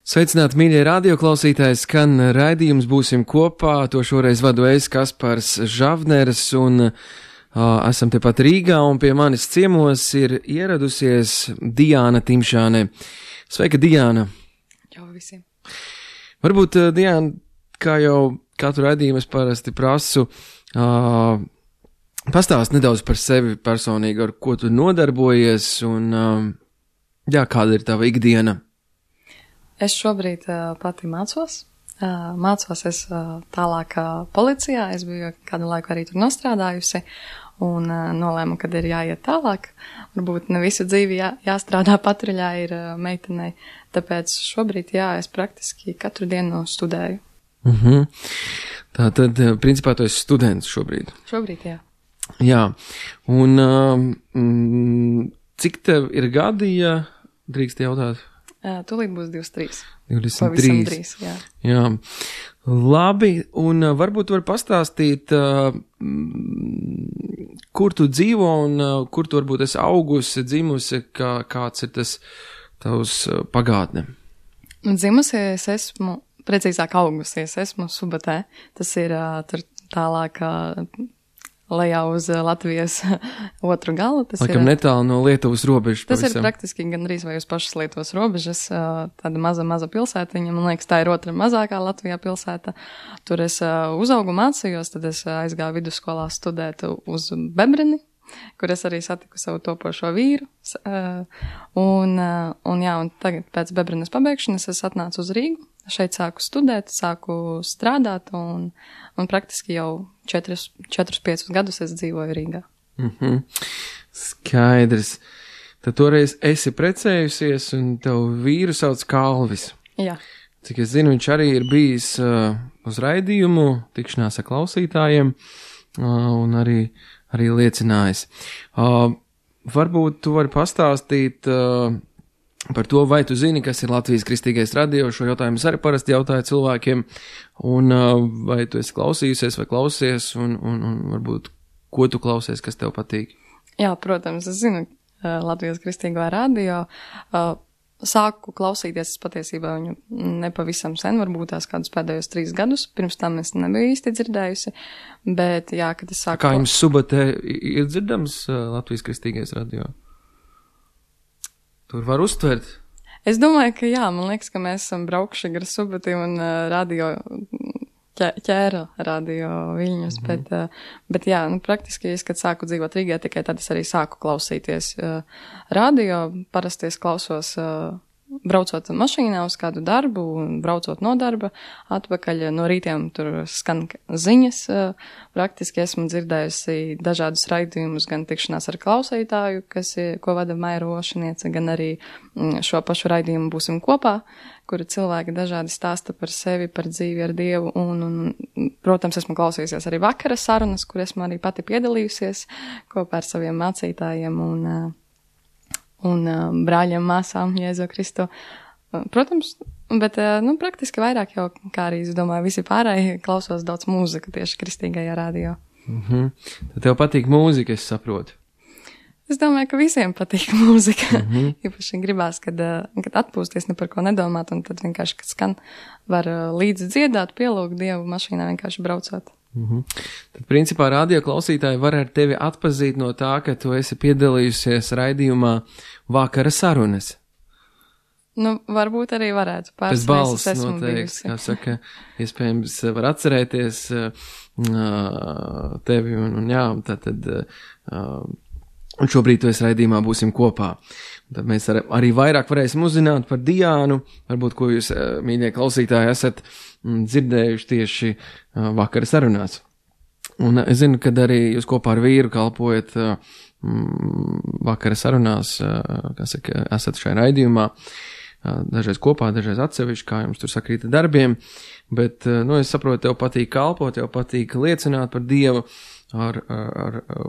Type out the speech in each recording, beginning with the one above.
Sveicināti, mīļie radioklausītāji, skan raidījums Būsim kopā, to šoreiz vadu es, Kaspars Žavners, un esam tepat Rīgā, un pie manis ciemos ir ieradusies Diāna Timšāne. Sveika, Diāna! Čau visiem! Varbūt, Diāna, kā jau katru raidījumu es parasti prasu, pastāst nedaudz par sevi personīgi, ar ko tu nodarbojies, un kāda ir tava ikdiena? Es šobrīd pati mācos. Mācos es tālāk policijā. Es biju kādu laiku arī tur nostrādājusi un nolēmu, kad ir jāiet tālāk. Varbūt ne visu dzīvi jāstrādā patruļā ir meitenei. Tāpēc šobrīd, es praktiski katru dienu studēju. Tātad, principā, tu esi students šobrīd? Šobrīd, jā. Jā. Un cik tev ir gadi, ja drīkst jautāt? Tūlīt būs 23. 23. Jā. Labi, un varbūt var pastāstīt, kur tu dzīvo un kur tu varbūt esi augusi, dzimusi, kāds ir tas tavs pagātne? Dzimusi es esmu, precīzāk augusies, esmu Subatē. Tas ir tur tālāk lejā uz Latvijas otru galu. Tas laikam ir netālu no Lietuvas robežas. Tas ir praktiski gandrīz vai uz pašas Lietuvas robežas, tāda maza pilsētiņa, man liekas, tā ir otra mazākā Latvijā pilsēta. Tur es uzaugu mācījos, tad es aizgāju vidusskolā studēt uz Bebrini, kur es arī satiku savu topošo vīru. Un tagad pēc Bebrinas pabeigšanas es atnācu uz Rīgu. Šeit sāku studēt, sāku strādāt un praktiski jau 4-5 gadus es dzīvoju Rīgā. Skaidrs. Tad toreiz esi precējusies un tev vīru sauc Kalvis. Jā. Cik es zinu, viņš arī ir bijis uz raidījumu, tikšanās ar klausītājiem un arī liecinājis. Varbūt tu vari pastāstīt par to, vai tu zini, kas ir Latvijas Kristīgais radio. Šo jautājumu es arī parasti jautāju cilvēkiem, un vai tu esi klausījusies vai klausies, un varbūt, ko tu klausies, kas tev patīk? Jā, protams, es zinu Latvijas Kristīgo radio. Sāku klausīties, es patiesībā viņu nepavisam sen, varbūt tās kādus pēdējos 3 gadus, pirms tam es nebiju īsti dzirdējusi, bet kad es sāku... Kā jums Subatē ir dzirdams Latvijas Kristīgais radio? Tur var uztvert? Es domāju, ka jā, man liekas, ka mēs esam braukši gar Subati un radio, ķēra radio Viļņus, bet jā, praktiski es, kad sāku dzīvot Rīgā, tikai tad es arī sāku klausīties radio, parasti es klausos braucot mašīnā uz kādu darbu un braucot no darba atpakaļ. No rītiem tur skan ziņas. Praktiski esmu dzirdējusi dažādus raidījumus, gan tikšanās ar klausītāju, ko vada Maija Rošaniece, gan arī šo pašu raidījumu Būsim kopā, kura cilvēki dažādi stāsta par sevi, par dzīvi ar Dievu. Un protams, esmu klausījusies arī vakara sarunas, kur esmu arī pati piedalījusies kopā ar saviem mācītājiem un brāļiem, māsām, Jēzu Kristu. Protams, bet, praktiski vairāk jau, kā arī, es domāju, visi pārējie klausos daudz mūziku tieši kristīgajā radio. Tad tev patīk mūzika, es saprotu? Es domāju, ka visiem patīk mūzika. Īpaši gribās, kad atpūsties, ne par ko nedomāt, un tad vienkārši, kad skan, var līdzi dziedāt, pielūgt Dievu mašīnā vienkārši braucot. Tad, principā, radio klausītāji var ar tevi atpazīt no tā, ka tu esi piedalījusies raidījumā Vakara sarunas. Varbūt arī varētu. Pēc balss noteikti, kā saka, iespējams var atcerēties tevi un šobrīd tu esi raidījumā Būsim kopā. Tad mēs arī vairāk varēsim uzzināt par Diānu, varbūt, ko jūs, mīļie klausītāji, esat dzirdējuši tieši vakara sarunās. Un es zinu, kad arī jūs kopā ar vīru kalpojat vakara sarunās, esat šajā raidījumā, dažreiz kopā, dažreiz atsevišķi, kā jums tur sakrīta darbiem, bet, es saprotu, tev patīk kalpot, tev patīk liecināt par Dievu,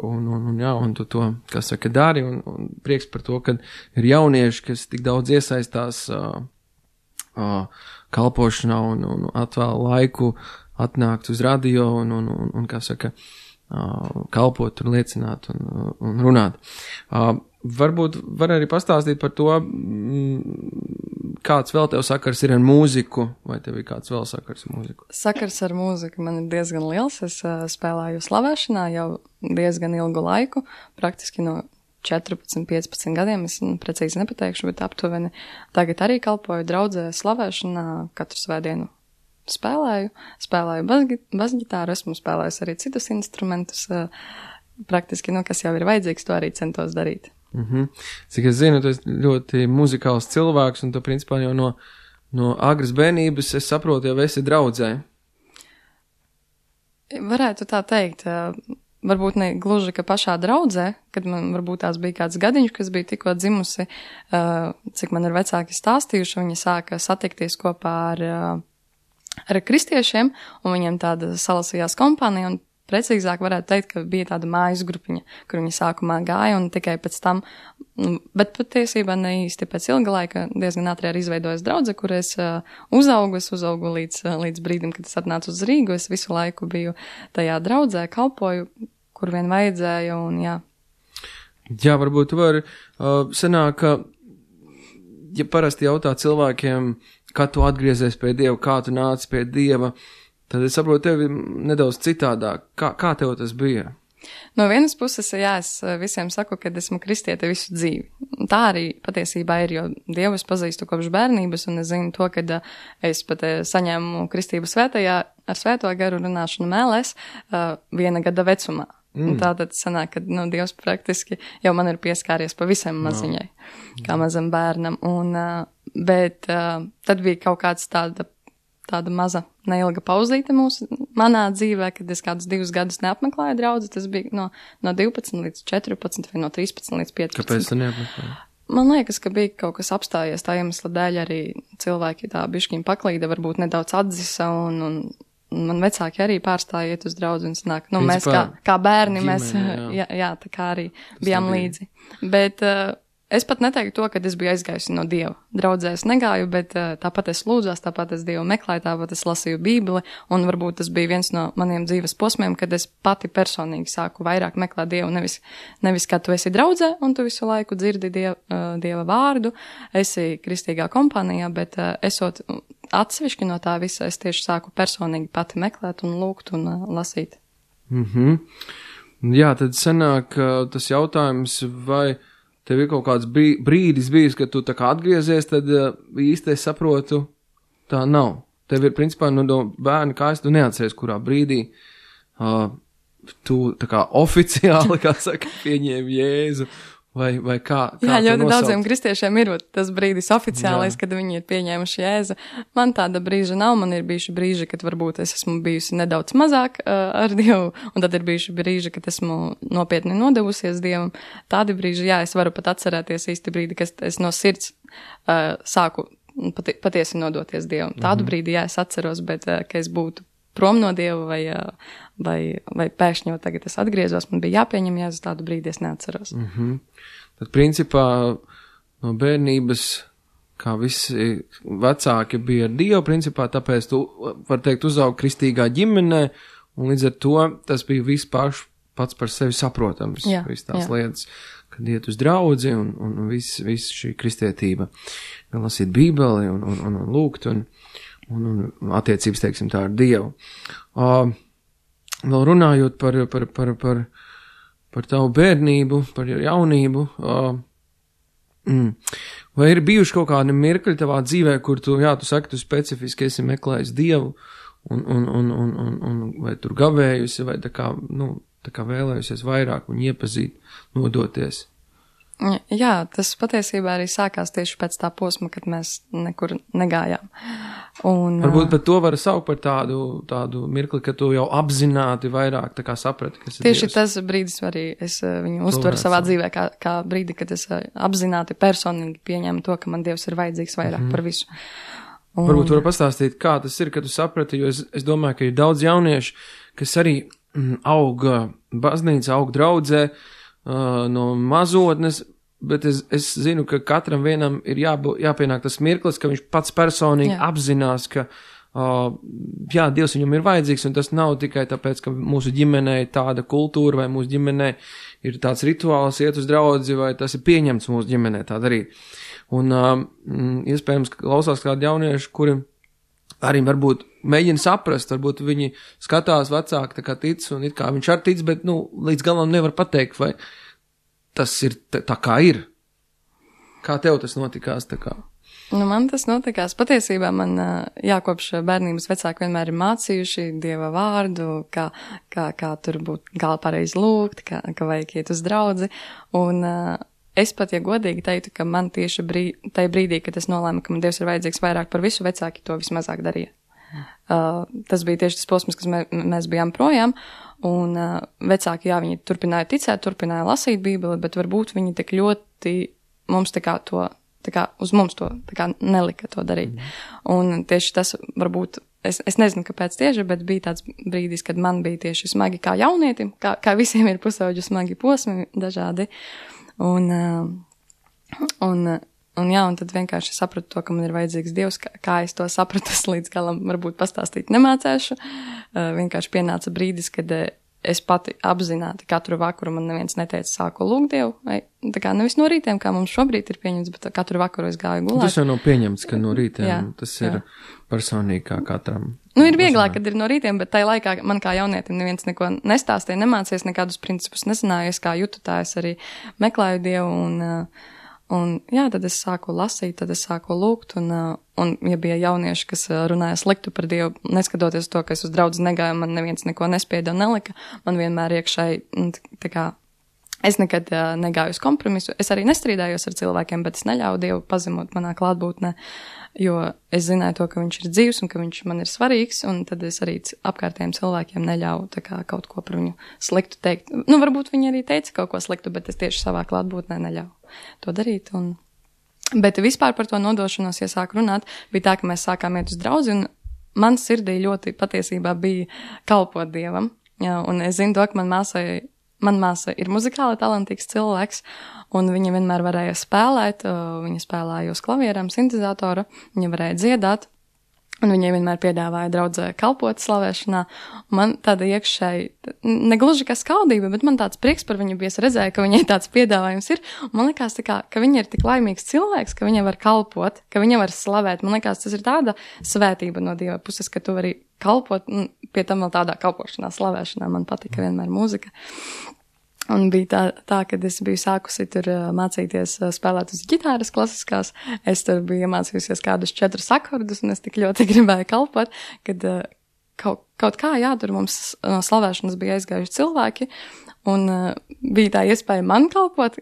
un tu to, dari, un prieks par to, ka ir jaunieši, kas tik daudz iesaistās kalpošanā un atvēl laiku atnākt uz radio un kalpot un liecināt un runāt. Varbūt var arī pastāstīt par to, kāds vēl tev sakars ir ar mūziku, vai tev ir kāds vēl sakars ar mūziku? Sakars ar mūziku man ir diezgan liels. Es spēlēju slavēšanā jau diezgan ilgu laiku, praktiski no 14, 15 gadiem, es precīzi nepateikšu, bet aptuveni tagad arī kalpoju draudzē slavēšanā, katru svētdienu spēlēju basģitāru, esmu spēlējis arī citus instrumentus, praktiski, kas jau ir vajadzīgs, to arī centos darīt. Cik es zinu, tu esi ļoti muzikāls cilvēks, un tu principā jau no agras bērnības, es saprotu, jau esi draudzē. Varētu tā teikt, varbūt ne gluži, ka pašā draudzē, kad man varbūt tās bija kāds gadiņš, kas bija tikko dzimusi, cik man ir vecāki stāstījuši, viņi sāka satikties kopā ar kristiešiem, un viņiem tāda salasījās kompānija, un precīzāk varētu teikt, ka bija tāda mājas grupiņa, kur viņi sākumā gāja, un tikai pēc tam, bet patiesībā ne īsti pēc ilga laika diezgan ātri arī izveidojas draudze, kur es uzaugu līdz brīdim, kad es atnācu uz Rīgu, es visu laiku biju tajā draudzē, kalpoju, kur vien vajadzēja, un jā. Jā, varbūt tu vari sanāk, ka, ja parasti jautā cilvēkiem, kā tu atgriezies pie Dieva, kā tu nāc pie Dieva, tad es saprotu tevi nedaudz citādāk. Kā tev tas bija? No vienas puses, jā, es visiem saku, ka esmu kristiete visu dzīvi. Tā arī patiesībā ir, jo Dievu es pazīstu kopš bērnības, un es zinu to, ka es pat saņēmu kristību svētajā ar svēto garu runāšanu mēlēs 1 gada vecumā. Tātad sanāk, ka Dievs praktiski jau man ir pieskāries pavisam maziņai, kā mazam bērnam. Bet tad bija kaut kāds tāda maza neilga pauzīte manā dzīvē, kad es kādus 2 gadus neapmeklēju draudzi. Tas bija no 12 līdz 14 vai no 13 līdz 15. Kāpēc tu neapmeklēji? Man liekas, ka bija kaut kas apstājies tā iemesla dēļ, arī cilvēki tā bišķiņ paklīda, varbūt nedaudz atzisa, un man vecāki arī pārstāja iet uz draudzi un sanāk, mēs kā bērni, ģimene, jā, tā kā arī bijām līdzi. Bet es pat neteiktu to, ka es biju aizgājusi no Dieva. Draudzē es negāju, bet tāpat es lūdzās, tāpat es Dievu meklēju, tāpat es lasīju Bībeli, un varbūt tas bija viens no maniem dzīves posmiem, kad es pati personīgi sāku vairāk meklēt Dievu, nevis kā tu esi draudzē, un tu visu laiku dzirdi Dieva vārdu, esi kristīgā kompānijā, bet esot atsevišķi no tā visa, es tieši sāku personīgi pati meklēt un lūgt un lasīt. Jā, tad sanāk tas jautājums, vai tev ir kaut kāds brīdis bijis, kad tu tā kā atgriezies, tad īsti es saprotu, tā nav. Tev ir, principā, no bērna kājas, tu neatceries, kurā brīdī tu tā kā oficiāli, kā saka, pieņēmi Jēzu, vai kā jā, ļoti daudziem kristiešiem ir tas brīdis oficiālais, kad viņi ir pieņēmuši Jēzu. Man tāda brīža nav, man ir bijuši brīži, kad varbūt es esmu bijusi nedaudz mazāk ar Dievu, un tad ir bijuši brīži, kad esmu nopietni nodevusies Dievam. Tādi brīži, jā, es varu pat atcerēties īsti brīdi, kad es no sirds sāku patiesi nodoties Dievam. Tādu brīdi, jā, es atceros, bet ka es būtu prom no Dieva vai pēkšņi jau tagad es atgriezos, man bija jāpieņem Jēzus, tādu brīdi es neatceros. Tad, principā, no bērnības, kā visi vecāki bija ar Dievu, principā, tāpēc tu, var teikt, uzaugi kristīgā ģimenē, un līdz ar to tas bija pats par sevi saprotams, viss tās lietas, kad iet uz draudzi un viss šī kristietība, gan lasīt Bībeli un lūgt un attiecības, teiksim tā, ar Dievu. Vēl runājot par tavu bērnību, par jaunību, vai ir bijuši kaut kādi mirkļi tavā dzīvē, kur tu saki, tu specifiski esi meklējis Dievu, un vai tur gavējusi, vai tā kā vēlējusies vairāk un iepazīt, nodoties? Jā, tas patiesībā arī sākās tieši pēc tā posma, kad mēs nekur negājām. Varbūt pat to var saukt par tādu mirkli, ka tu jau apzināti vairāk tā kā saprati, kas ir tieši Dievs. Tas brīdis arī es viņu uztveru savā dzīvē kā brīdi, kad es apzināti personīgi pieņēmu to, ka man Dievs ir vajadzīgs vairāk par visu. Varbūt var pastāstīt, kā tas ir, kad tu saprati, jo es domāju, ka ir daudz jauniešu, kas arī aug baznīca, aug draudzē, no mazotnes, bet es zinu, ka katram vienam ir jāpienāk tas mirklis, ka viņš pats personīgi apzinās, ka jā, Dievs viņam ir vajadzīgs, un tas nav tikai tāpēc, ka mūsu ģimenē ir tāda kultūra, vai mūsu ģimenē ir tāds rituāls iet uz draudzi, vai tas ir pieņemts mūsu ģimenē tā darīt. Un iespējams, ka klausās kādi jaunieši, kuri arī varbūt mēģina saprast, varbūt viņi skatās vecāki tā kā tic, un it kā viņš ar tic, bet, līdz galam nevar pateikt, vai tas ir tā kā ir. Kā tev tas notikās tā kā? Man tas notikās. Patiesībā man, kopš bērnības vecāki vienmēr ir mācījuši Dieva vārdu, kā tur būt, kā pareizi lūgt, ka vajag iet uz draudzi. Un es pat, ja godīgi teiktu, ka man tieši tajā brīdī, kad es nolēmu, ka man Dievs ir vajadzīgs vairāk par visu, vecāki to vismazāk darīja. Tas bija tieši tas posms, kas mēs bijām projām, un vecāki, viņi turpināja ticēt, turpināja lasīt Bībeli, bet varbūt viņi tik ļoti mums uz mums to nelika to darīt. Un tieši tas varbūt, es nezinu, kāpēc tieši, bet bija tāds brīdis, kad man bija tieši smagi kā jaunietim, kā visiem ir pusauģu smagi posmi dažādi. Un tad vienkārši sapratu to, ka man ir vajadzīgs Dievs, kā es to sapratu, es līdz galam varbūt pastāstīt nemācēšu. Vienkārši pienāca brīdis, kad es pati apzināti katru vakaru man neviens neteica sāku lūgt Dievu, vai tā kā nevis no rītiem, kā mums šobrīd ir pieņemts, bet katru vakaru es gāju gulēt. Tas jau nav pieņemts, ka no rītiem, tas ir personīgi kā katram. Ir vieglāk, kad ir no rītiem, bet tai laikā man kā jaunietim neviens neko nestāstīja, nemācījies, nekādus principus nezināju, es kā jūtu tā, es arī meklēju Dievu, un tad es sāku lasīt, tad es sāku lūgt, un ja bija jaunieši, kas runāja sliktu par Dievu, neskatoties to, ka es uz draudzi negāju, man neviens neko nespieda un nelika, man vienmēr iekšēji, tā kā, es nekad negāju uz kompromisu, es arī nestrīdājos ar cilvēkiem, bet es neļauju Dievu pazemot manā klātbūtnē, jo es zināju to, ka viņš ir dzīvs un ka viņš man ir svarīgs, un tad es arī apkārtējiem cilvēkiem neļauju tā kā kaut ko par viņu sliktu teikt. Varbūt viņi arī teica kaut ko sliktu, bet es tieši savā klātbūtnē neļauju to darīt. Bet vispār par to nodošanos, ja sāk runāt, bija tā, ka mēs sākām iet uz draudzi, un man sirdī ļoti patiesībā bija kalpot Dievam. Jā, un es zinu to, ka man māsa ir muzikāli talantīgs cilvēks, un viņa vienmēr varēja spēlēt, viņa spēlēja uz klavierām, sintezatoru, viņa varēja dziedāt, un viņai vienmēr piedāvāja draudzē kalpot slavēšanā. Man tāda iekšēji, negluži kā skaudība, bet man tāds prieks par viņu bija, es redzēju, ka viņai tāds piedāvājums ir, un man likās tā kā, ka viņa ir tik laimīgs cilvēks, ka viņa var kalpot, ka viņa var slavēt. Man likās, tas ir tāda svētība no Dieva puses, ka tu vari kalpot, un pie tam vēl tādā kalpošanā, slavēšanā man patika vienmēr mūzika. Un bija tā, kad es biju sākusi tur mācīties spēlēt uz ģitāras klasiskās, es tur biju iemācījusies kādus 4 akordus, un es tik ļoti gribēju kalpot, kad kaut kā, tur mums no slavēšanas bija aizgājuši cilvēki, un bija tā iespēja man kalpot.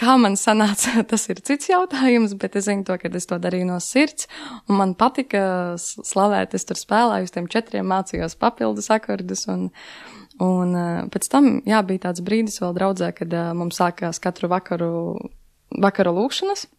Kā man sanāca, tas ir cits jautājums, bet es zinu to, ka es to darīju no sirds, un man patika slavēt, es tur spēlēju uz tiem 4, mācījos papildus akordus, un pēc tam, bija tāds brīdis vēl draudzē, kad mums sākās katru vakaru lūkšanas.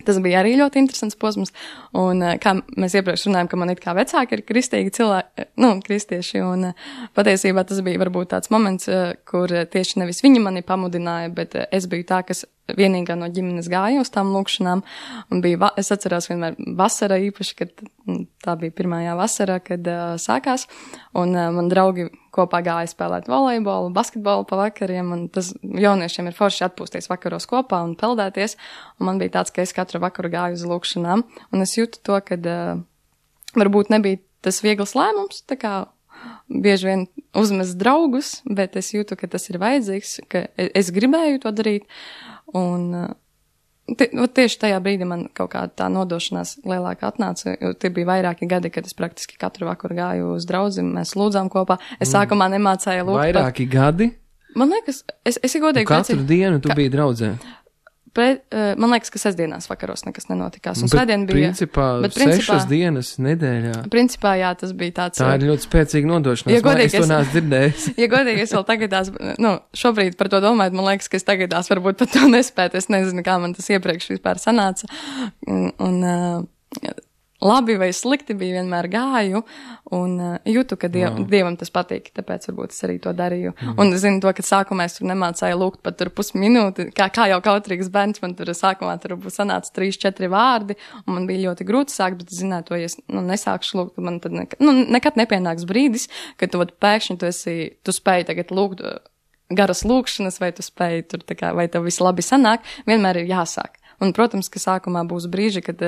Tas bija arī ļoti interesants posms, un kā mēs iepriekš runājam, ka man it kā vecāki ir kristīgi cilvēki, kristieši, un patiesībā tas bija varbūt tāds moments, kur tieši nevis viņi mani pamudināja, bet es biju tā, kas vienīgā no ģimenes gāja uz tām lūkšanām, un es atceros vienmēr vasara īpaši, kad tā bija pirmajā vasara, kad sākās, un man draugi kopā gāja spēlēt volejbolu, basketbolu pa vakariem, un tas jauniešiem ir forši atpūsties vakaros kopā un peldēties, un man bija tāds, ka es katru vakaru gāju uz lūkšanām, un es jūtu to, kad varbūt nebija tas viegls lēmums, tā kā bieži vien uzmest draugus, bet es jūtu, ka tas ir vajadzīgs, ka es gribēju to darīt, un tieši tajā brīdī man kaut kāda tā nodošanās lielāka atnāca, jo tie bija vairāki gadi, kad es praktiski katru vakaru gāju uz draudzi, mēs lūdzām kopā. Es sākumā nemācēju lūgt. Vairāki gadi? Man liekas, es godīgi... Katru dienu tu biji draudzē? Man liekas, ka sestdienās vakaros nekas nenotikās. Un svētdien bija... Principā 6 dienas nedēļā. Principā, jā, tas bija tāds... Tā ir ļoti spēcīga nodošanās. Ja godīgi, es to neesmu dzirdējis. Ja godīgi, es vēl tagadās, šobrīd par to domājot, man liekas, ka es tagadās varbūt pat to nespētu. Es nezinu, kā man tas iepriekš vispār sanāca. Un labi vai slikti bija, vienmēr gāju un jūtu, ka Dievam tas patīk, tāpēc varbūt es arī to darīju. Un zinu to, ka sākumā es tur nemācēju lūgt pat tur pusminūti, kā jau kautrīgs bērns, man tur sākumā tur sanāca 3-4 vārdi, un man bija ļoti grūti sākt, bet es zināju to, ja es nesākšu lūgt, man tad nekad nepienāks brīdis, kad tu pēkšņi tu spēji tagad lūgt garas lūkšanas, vai tu spēji tur vai tev viss labi sanāk, vienmēr ir jāsāk. Un, protams, ka sākumā būs brīži, kad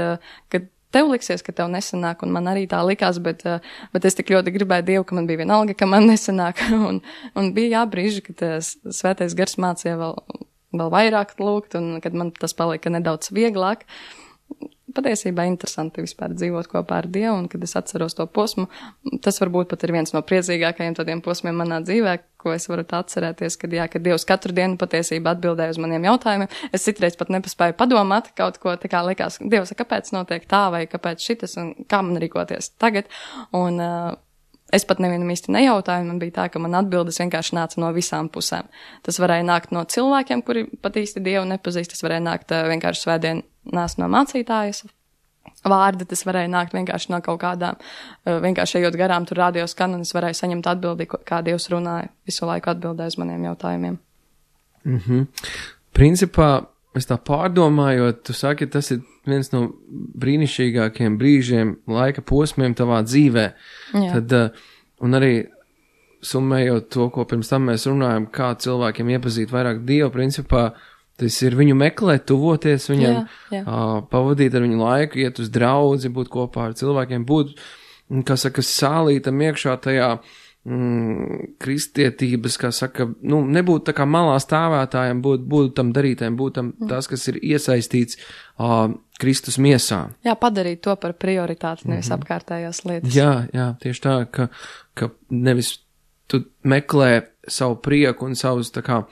tev liksies, ka tev nesanāk, un man arī tā likās, bet es tik ļoti gribēju Dievu, ka man bija vienalga, ka man nesanāk, un bija brīži, kad Svētais Gars mācīja vēl vairāk lūgt, un kad man tas palika nedaudz vieglāk. Patiesībā interesanti vispār dzīvot kopā ar Dievu, un kad es atceros to posmu, tas varbūt pat ir viens no priecīgākajiem tādiem posmiem manā dzīvē, ko es varu atcerēties, kad Dievs katru dienu patiesībā atbildēja uz maniem jautājumiem. Es citreiz pat nepaspēju padomāt kaut ko, tā kā likās, Dievs, kāpēc notiek tā, vai kāpēc šitas, un kā man rīkoties tagad, un es pat nevienam īsti nejautāju, man bija tā, ka man atbildes vienkārši nāca no visām pusēm. Tas varēja nākt no cilvēkiem, kuri pat īsti Dievu nepazīst, tas varēja nākt vienkārši svētdien nāc no mācītājas vārdi, tas varēja nākt vienkārši no kaut kādām, vienkārši ejot garām, tur rādio skan, un es varēju saņemt atbildi, kā Dievs runāja, visu laiku atbildēja uz maniem jautājumiem. Principā, es tā pārdomājot, tu saki, tas ir viens no brīnišķīgākiem brīžiem, laika posmiem tavā dzīvē. Jā. Tad, un arī summējot to, ko pirms tam mēs runājam, kā cilvēkiem iepazīt vairāk Dievu, principā, tas ir viņu meklēt, tuvoties viņam, pavadīt ar viņu laiku, iet uz draudzi, būt kopā ar cilvēkiem, būt, kā saka, sālītam iekšā tajā kristietības, kā saka, nebūt tā kā malā stāvētājiem, būt tam darītājiem, būt tam tas, kas ir iesaistīts Kristus miesā. Jā, padarīt to par prioritāti, nevis apkārtējās lietas. Jā, tieši tā, ka nevis tu meklē savu prieku un savus tā kā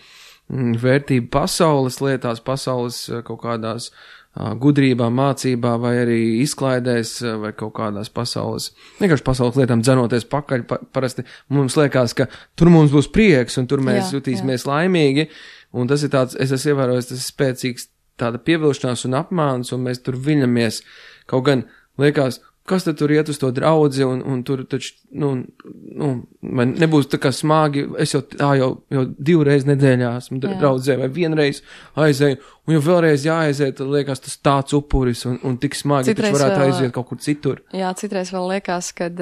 vērtību pasaules lietās, pasaules kaut kādās gudrībā, mācībā vai arī izklaidēs vai kaut kādās vienkārši pasaules lietām dzenoties pakaļ. Parasti mums liekas, ka tur mums būs prieks un tur mēs jutīsimies laimīgi, un tas ir tāds, es esmu ievērojis, tas ir spēcīgs tāda pievilšanās un apmāns, un mēs tur viļamies. Kaut gan liekas, kas tad tur iet uz to draudzi, un tur taču, man nebūs tā kā smagi, es jau 2 reizes nedēļā esmu draudzē, vai 1 reizi aizēju, un jau vēlreiz jāaiziet, tad liekas tas tāds upuris, un tik smagi, taču varētu aiziet kaut kur citur. Jā, citreiz vēl liekas, kad,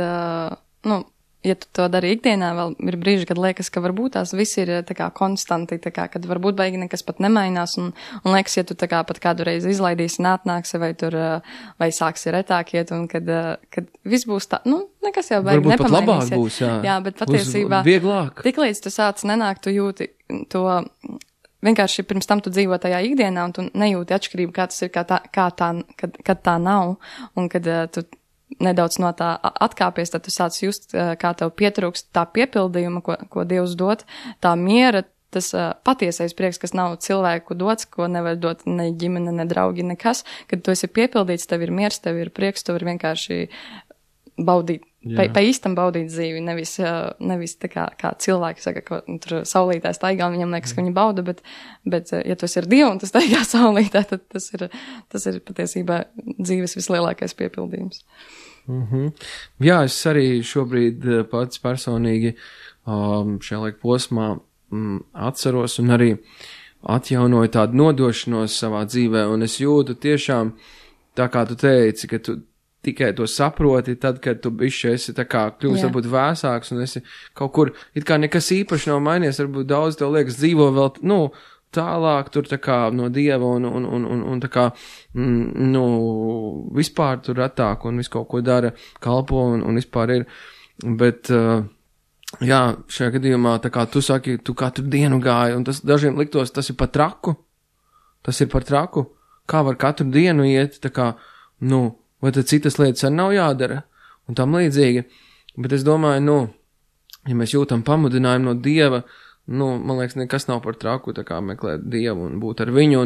ja tu to dari ikdienā, vēl ir brīži, kad liekas, ka varbūt tās viss ir tā kā konstanti, tā kā, kad varbūt baigi nekas pat nemainās, un liekas, ja tu tā kā pat kādu reizi izlaidīsi un atnāksi, vai sāksi retāk iet, un kad viss būs tā, nekas jau baigi nepamainīs. Varbūt pat labāk būs, jā. Jā, bet patiesībā, vieglāk. Tiklīdz tu sāc nenākt, tu jūti to, vienkārši pirms tam tu dzīvo tajā ikdienā, un tu nejūti atšķirību, kā tas ir, kad tā nav, un kad tu nedaudz no tā atkāpies, tad tu sāc just, kā tev pietrūkst tā piepildījuma, ko Dievs dod, tā miera, tas patiesais prieks, kas nav cilvēku dots, ko nevar dot ne ģimene, ne draugi, nekas, kad tu esi piepildīts, tev ir miers, tev ir prieks, tu vari vienkārši baudīt, pa īstam baudīt dzīvi, nevis tā kā cilvēki saka, ka tur saulītē staigā, un viņam liekas, ka viņi bauda, bet ja tu esi ar Dievu un tu staigā saulītē, tad tas ir patiesībā dzīves vislielākais piepildījums. Jā, es arī šobrīd pats personīgi šajā laika posmā atceros un arī atjaunoju tādu nodošanos savā dzīvē, un es jūtu tiešām, tā kā tu teici, ka tu tikai to saproti, tad, kad tu bišķi esi tā kā kļūst varbūt vēsāks un esi kaut kur, it kā nekas īpaši nav mainījies, varbūt daudz tev liekas dzīvo vēl, tālāk tur tā kā no Dieva un tā kā, vispār tur retāk un visu kaut ko dara, kalpo un vispār ir, bet, jā, šajā gadījumā, tā kā tu saki, tu katru dienu gāji, un tas dažiem liktos, tas ir par traku, kā var katru dienu iet, tā kā, vai tad citas lietas arī nav jādara, un tam līdzīgi, bet es domāju, ja mēs jūtam pamudinājumu no Dieva, man liekas, nekas nav par traku, tā kā meklēt Dievu un būt ar viņu,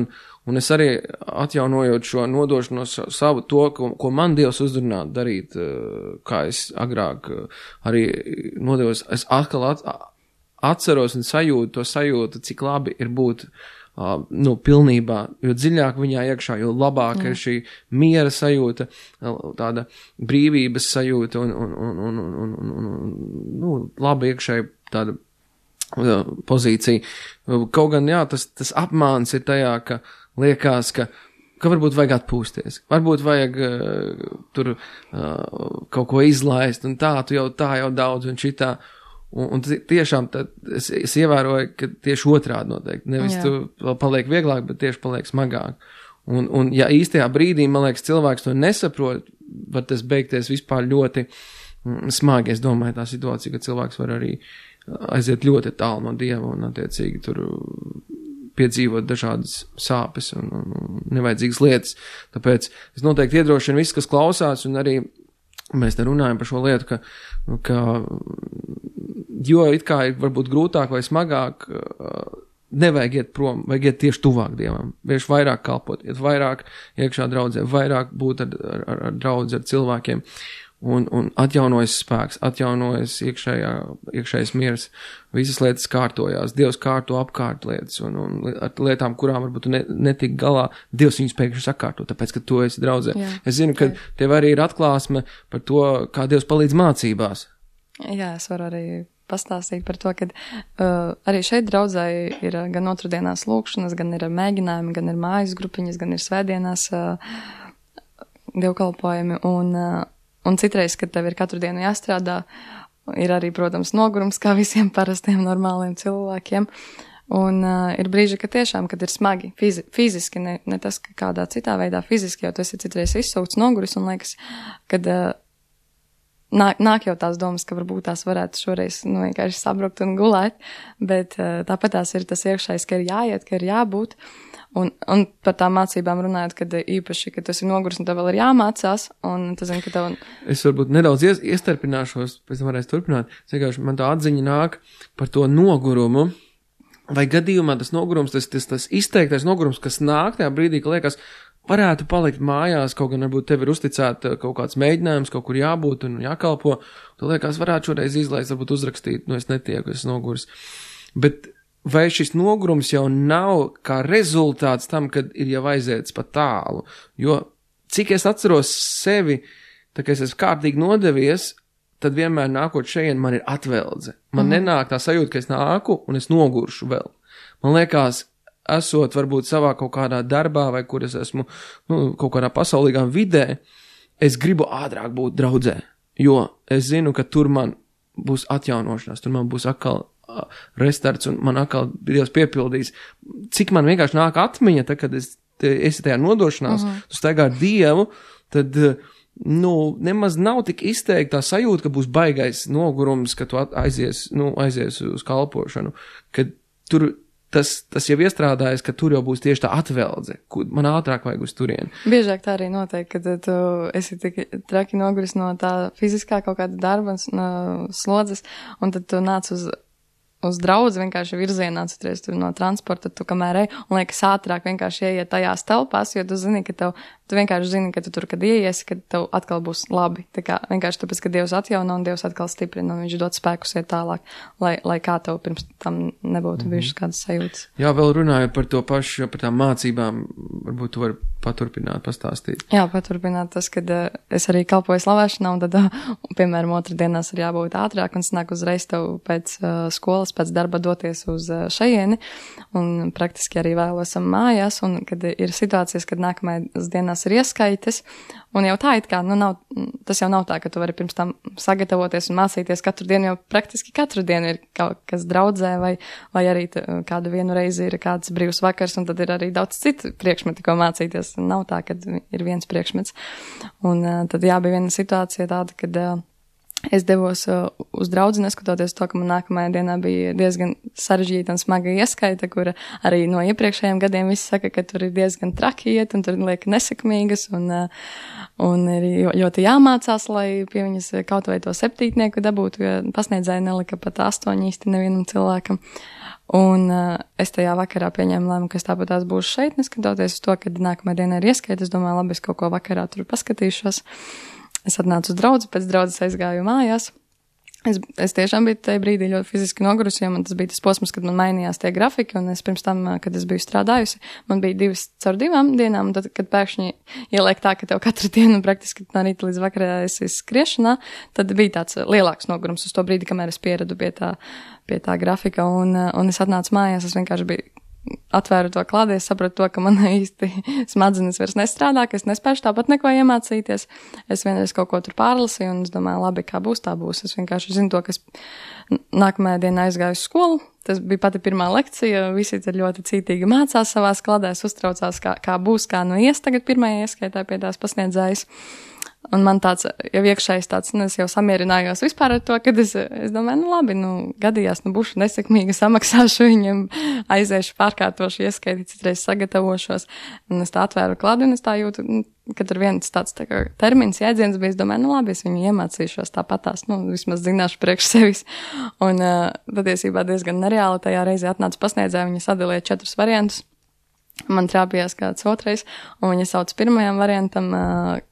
un es arī atjaunojot šo nodošanos savu to, ko man Dievs uzrunā darīt, kā es agrāk arī nodevos, es atkal atceros un sajūtu, cik labi ir būt pilnībā, jo dziļāk viņā iekšā, jo labāk ir šī miera sajūta, tāda brīvības sajūta un labi iekšēji tāda pozīcija. Kaut gan, tas apmāns ir tajā, ka liekas, ka varbūt vajag atpūsties, varbūt vajag tur kaut ko izlaist, un tā jau daudz, un šitā. Un tiešām es ievēroju, ka tieši otrādi noteikti. Nevis tu vēl paliek vieglāk, bet tieši paliek smagāk. Un ja īstajā brīdī, man liekas, cilvēks to nesaprot, var tas beigties vispār ļoti smagi. Es domāju, tā situācija, ka cilvēks var arī aiziet ļoti tālu no Dieva un attiecīgi tur piedzīvot dažādas sāpes un nevajadzīgas lietas. Tāpēc es noteikti iedrošinu visus, kas klausās, un arī mēs te runājam par šo lietu, ka jo it kā ir varbūt grūtāk vai smagāk, nevajag iet prom, vajag iet tieši tuvāk Dievam, vienkārši vairāk kalpot, iet vairāk iekšā draudzē, vairāk būt ar draudzi, ar cilvēkiem, un atjaunojas spēks, atjaunojas iekšējais miers, visas lietas kārtojās, Dievs kārto apkārt lietas, un ar lietām, kurām varbūt tu netik galā, Dievs viņus pēkšņi sakārto, tāpēc, ka tu esi draudzē. Jā, es zinu, ka tev arī ir atklāsme par to, kā Dievs palīdz mācībās. Jā, es varu arī pastāstīt par to, ka arī šeit draudzē ir gan otrdienās lūkšanas, gan ir mēģinājumi, gan ir mājas grupiņas, gan ir svētdienās dievkalpojumi, un citreiz, kad tev ir katru dienu jāstrādā, ir arī, protams, nogurums, kā visiem parastiem normāliem cilvēkiem. Un ir brīži, ka tiešām, kad ir smagi, fiziski, ne tas, ka kādā citā veidā fiziski, jo tu esi citreiz izsūkts noguris, un liekas, kad nāk jau tās domas, ka varbūt tās varētu šoreiz vienkārši sabrukt un gulēt, bet tāpat tās ir tas iekšējais, ka ir jāiet, ka ir jābūt. Un par tām mācībām runājot, kad īpaši, ka tu esi noguris un tev vēl ir jāmācās, un tu zini, ka tev... Es varbūt nedaudz iestarpināšos, pēc tam varēs turpināt. Vienkārši man tā atziņa nāk par to nogurumu, vai gadījumā tas nogurums, tas izteiktais nogurums, kas nāk tajā brīdī, ka liekas, varētu palikt mājās, kaut gan varbūt tev ir uzticēta kaut kāds mēģinājums, kaut kur jābūt un jākalpo, tu liekas, varētu šoreiz izlaist, varbūt uzrakstīt, es netieku, es noguris. Bet vai šis nogurums jau nav kā rezultāts tam, kad ir jau aiziets pa tālu? Jo cik es atceros sevi, tā kā es esmu kārtīgi nodevies, tad vienmēr nākot šeit man ir atveldze. Man nenāk tā sajūta, ka es nāku un es noguršu vēl. Man liekas, esot varbūt savā kaut kādā darbā vai kur es esmu kaut kādā pasaulīgā vidē, es gribu ātrāk būt draudzē, jo es zinu, ka tur man būs atjaunošanās, tur man būs atkal restarts un man atkal Dievs piepildīs. Cik man vienkārši nāk atmiņa, tad, kad esi tajā nodošanās, tu staigā ar Dievu, tad, nemaz nav tik izteikta tā sajūta, ka būs baigais nogurums, ka tu aizies uz kalpošanu, kad tur tas jau iestrādājas, ka tur jau būs tieši tā atveldze, man ātrāk vajag uz turieni. Biežāk tā arī notiek, kad tu esi tik traki noguris no tā fiziskā kaut kāda darba slodzes, un tad tu nāc uz draudzi vienkārši virzienā, citreiz tu no transporta, tu kamēr ej, un liekas ātrāk vienkārši ieiet tajās telpās, jo tu zini, ka tu vienkārši zini, ka tu tur, kad ieiesi, kad tev atkal būs labi. Tā kā vienkārši tāpēc, ka Dievs atjauno un Dievs atkal stiprina, un viņš dod spēkus iet tālāk, lai kā tev pirms tam nebūtu bijušas kādas sajūtas. Jā, vēl runājot par to pašu, par tām mācībām, varbūt tu vari paturpināt, pastāstīt. Jā, paturpināt tas, kad es arī kalpoju slavēšanā, un tad, piemēram, otrdienās ir jābūt ātrāk, un snāk uzreiz tev pēc skolas, pēc darba doties uz šajieni, un praktiski arī vēlosam mājās, un kad ir situācijas, kad nākamajās dienās ir ieskaites, un jau tā it kā, tas jau nav tā, ka tu vari pirms tam sagatavoties un mācīties katru dienu, jo praktiski katru dienu ir kaut kas draudzē, vai arī kādu vienu reizi ir kāds brīvs vakars, un tad ir arī daudz citu priekšmeti, ko mācīties. Nav tā, ka ir viens priekšmets. Un tad bija viena situācija tāda, kad es devos uz draudzi, neskatoties to, ka man nākamajā dienā bija diezgan sarežģīta un smaga ieskaita, kura arī no iepriekšējiem gadiem visi saka, ka tur ir diezgan traki iet, un tur liek nesekmīgas, un ir ļoti jāmācās, lai pie viņas kaut vai to 7. dabūtu, jo pasniedzēji nelika pat 8 īsti nevienam cilvēkam. Un es tajā vakarā pieņēmu lēmumu, ka es tāpat tās būšu šeit, neskatoties uz to, kad nākamajā dienā ir ieskaita. Es domāju, labi, es kaut ko vakarā tur paskatīšos. Es atnācu uz draudzi, pēc draudzes aizgāju mājās, Es tiešām biju tajā brīdī ļoti fiziski nogurusi, jo man tas bija tas posms, kad man mainījās tie grafiki, un es pirms tam, kad es biju strādājusi, man bija 2 caur 2 dienām, un tad, kad pēkšņi ieliek tā, ka tev katru dienu praktiski no rīta līdz vakarā esi skriešanā, tad bija tāds lielāks nogurums uz to brīdi, kamēr es pieradu pie tā grafika, un es atnācu mājās, es vienkārši biju atvēru to klādi, es sapratu to, ka man īsti smadzenes vairs nestrādā, ka es nespēšu tāpat neko iemācīties. Es vienreiz kaut ko tur pārlasīju, un es domāju, labi, kā būs, tā būs. Es vienkārši zinu to, ka es nākamajā dienā aizgāju uz skolu. Tas bija pati pirmā lekcija, visi tad ļoti cītīgi mācās savās kladēs, uztraucās, kā būs, kā nu ies tagad pirmajā ieskaitā pie tās pasniedzējas. Un man tāds, jau iekšējais tāds, es jau samierinājos vispār ar to, kad es domāju, labi, gadījās, būšu nesekmīga, samaksāšu viņam, aiziešu, pārkārtošu, ieskaiti, citreiz sagatavošos. Un es tā atvēru klādi, un es tā jūtu, kad ar viens tāds tā kā termins, jēdziens bija, es domāju, labi, es viņu iemācīšos tāpatās, vismaz zināšu priekš sevis. Un patiesībā diezgan nereāli tajā reizē atnāca pasniedzēja, viņa sadalīja 4 variantus. Man trāpījās kāds otrais, un viņa sauc pirmajam variantam,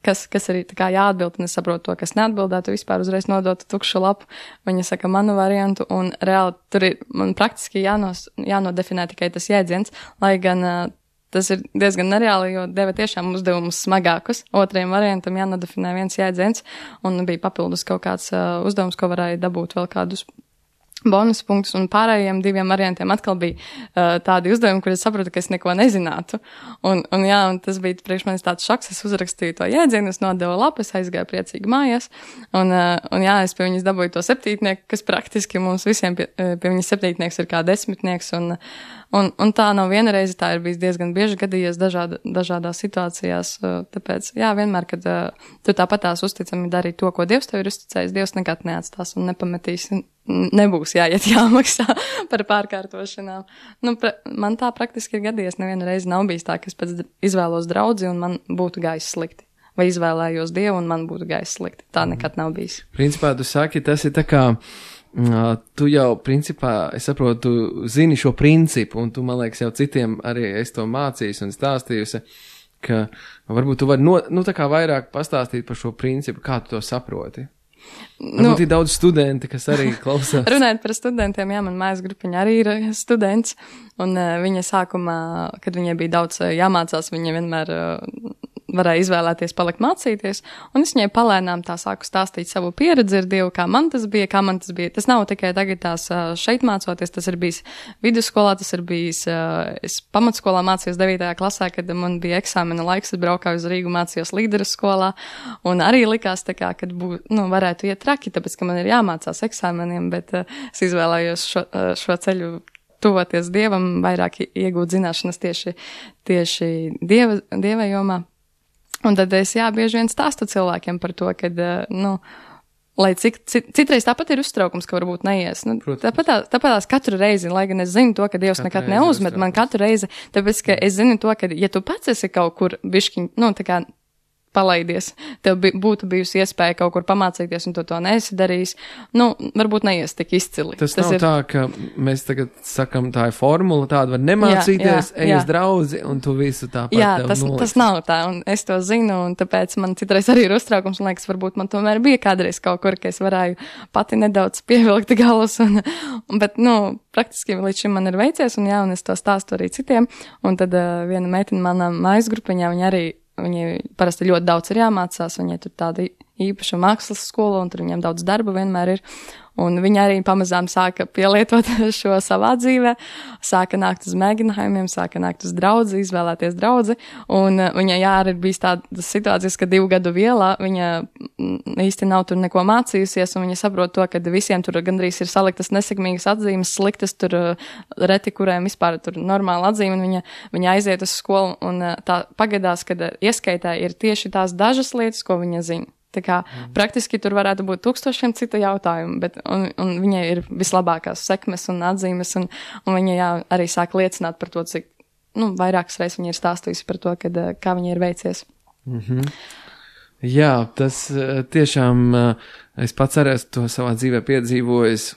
kas arī tā kā jāatbild, un es saprotu to, kas neatbildētu, vispār uzreiz nodotu tukšu lapu. Viņa saka manu variantu, un reāli tur ir, man praktiski jānodefinē tikai tas jēdziens, lai gan tas ir diezgan nereāli, jo deva tiešām uzdevumus smagākus. Otrajam variantam jānodefinē viens jēdziens, un bija papildus kaut kāds uzdevums, ko varēja dabūt vēl kādus bonus punktus, un pārējiem 2 variantiem atkal bija tādi uzdevumi, kur es sapratu, ka es neko nezinātu. Un tas bija priekš manis tāds šoks, es uzrakstīju to jēdzienu, es nodevu lapu, es aizgāju priecīgi mājās, un es pie viņas dabūju to 7, kas praktiski mums visiem pie viņas 7 ir kā 10, un tā nav viena reize, tā ir bijis diezgan bieži gadījies dažādās situācijās, tāpēc, vienmēr, kad tu tāpatās uzticami dari to, ko Dievs tev ir uzticējis, Dievs nekad neatstās un nepametīs, nebūs jāiet jāmaksā par pārkārtošanām. Man tā praktiski ir gadījies, neviena reize nav bijis tā, ka es pēc izvēlos draudzi un man būtu gājis slikti. Vai izvēlējos Dievu un man būtu gājis slikti. Tā nekad nav bijis. Principā tu saki, tas ir tā kā, tu jau principā, es saprotu, tu zini šo principu, un tu, man liekas, jau citiem arī es to mācījis un stāstījusi, ka varbūt tu vari tā kā vairāk pastāstīt par šo principu, kā tu to saproti. Varbūt ir daudz studenti, kas arī klausās. Runājot par studentiem, man mājas grupiņa arī ir students, un viņa sākumā, kad viņai bija daudz jāmācās, viņa vienmēr varēja izvēlēties palikt mācīties, un es viņai palēnām tā sāku stāstīt savu pieredzi ar Dievu, kā man tas bija. Tas nav tikai tagad tās šeit mācoties, tas ir bijis vidusskolā, tas ir bijis, es pamatskolā mācījos 9. klasē, kad man bija eksāmena laiks, es braukāju uz Rīgu, mācījos līderu skolā, un arī likās tā kā, kad varētu iet traki, tāpēc, ka man ir jāmācās eksāmeniem, bet es izvēlējos šo ceļu tuvoties Dievam, vairāk iegūt zināšanas tieši Dieva jomā. Un tad es, bieži vien stāstu cilvēkiem par to, kad, lai citreiz tāpat ir uztraukums, ka varbūt neies. Tāpatās katru reizi, lai gan es zinu to, ka Dievs nekad neuzmet man katru reizi, tāpēc, ka es zinu to, ka, ja tu pats esi kaut kur bišķiņ, tā kā palaidies, tev būtu bijusi iespēja kaut kur pamācīties, un tu to neesi darījis, varbūt neies tik izcili. Tas nav tā, ka mēs tagad sakam, tā ir formula, tāda var nemācīties, ej uz draudzi, un tu visu tāpat tev noliks. Tas nav tā, un es to zinu, un tāpēc man citreiz arī ir uztraukums, un liekas, varbūt man tomēr bija kādreiz kaut kur, ka es varēju pati nedaudz pievilkt galus, bet, praktiski līdz šim man ir veicies, un es to stāstu arī citiem, un tad viena meitene manā mājas grupiņā, viņai parasti ļoti daudz ir jāmācās, viņai tur tāda īpaša mākslas skola, un tur viņiem daudz darba vienmēr ir. Un viņa arī pamazām sāka pielietot šo savā dzīvē, sāka nākt uz mēģinājumiem, sāka nākt uz draudzi, izvēlēties draudzi, un viņai arī bijis tādas situācijas, ka 2 gadu vielā viņa īsti nav tur neko mācījusies, un viņa saprot to, ka visiem tur gandrīz ir saliktas nesekmīgas atzīmes, sliktas tur reti, kuriem vispār tur normāla atzīme, un viņa aiziet uz skolu, un tā pagadās, kad ieskaitē ir tieši tās dažas lietas, ko viņa zina. Tā kā praktiski tur varētu būt 1000 citu jautājumu, bet un viņai ir vislabākās sekmes un atzīmes, un viņa arī sāk liecināt par to, cik, vairākas reizes viņa ir stāstījusi par to, kā viņai ir veicies. Jā, tas tiešām, es pats arī to savā dzīvē piedzīvojis,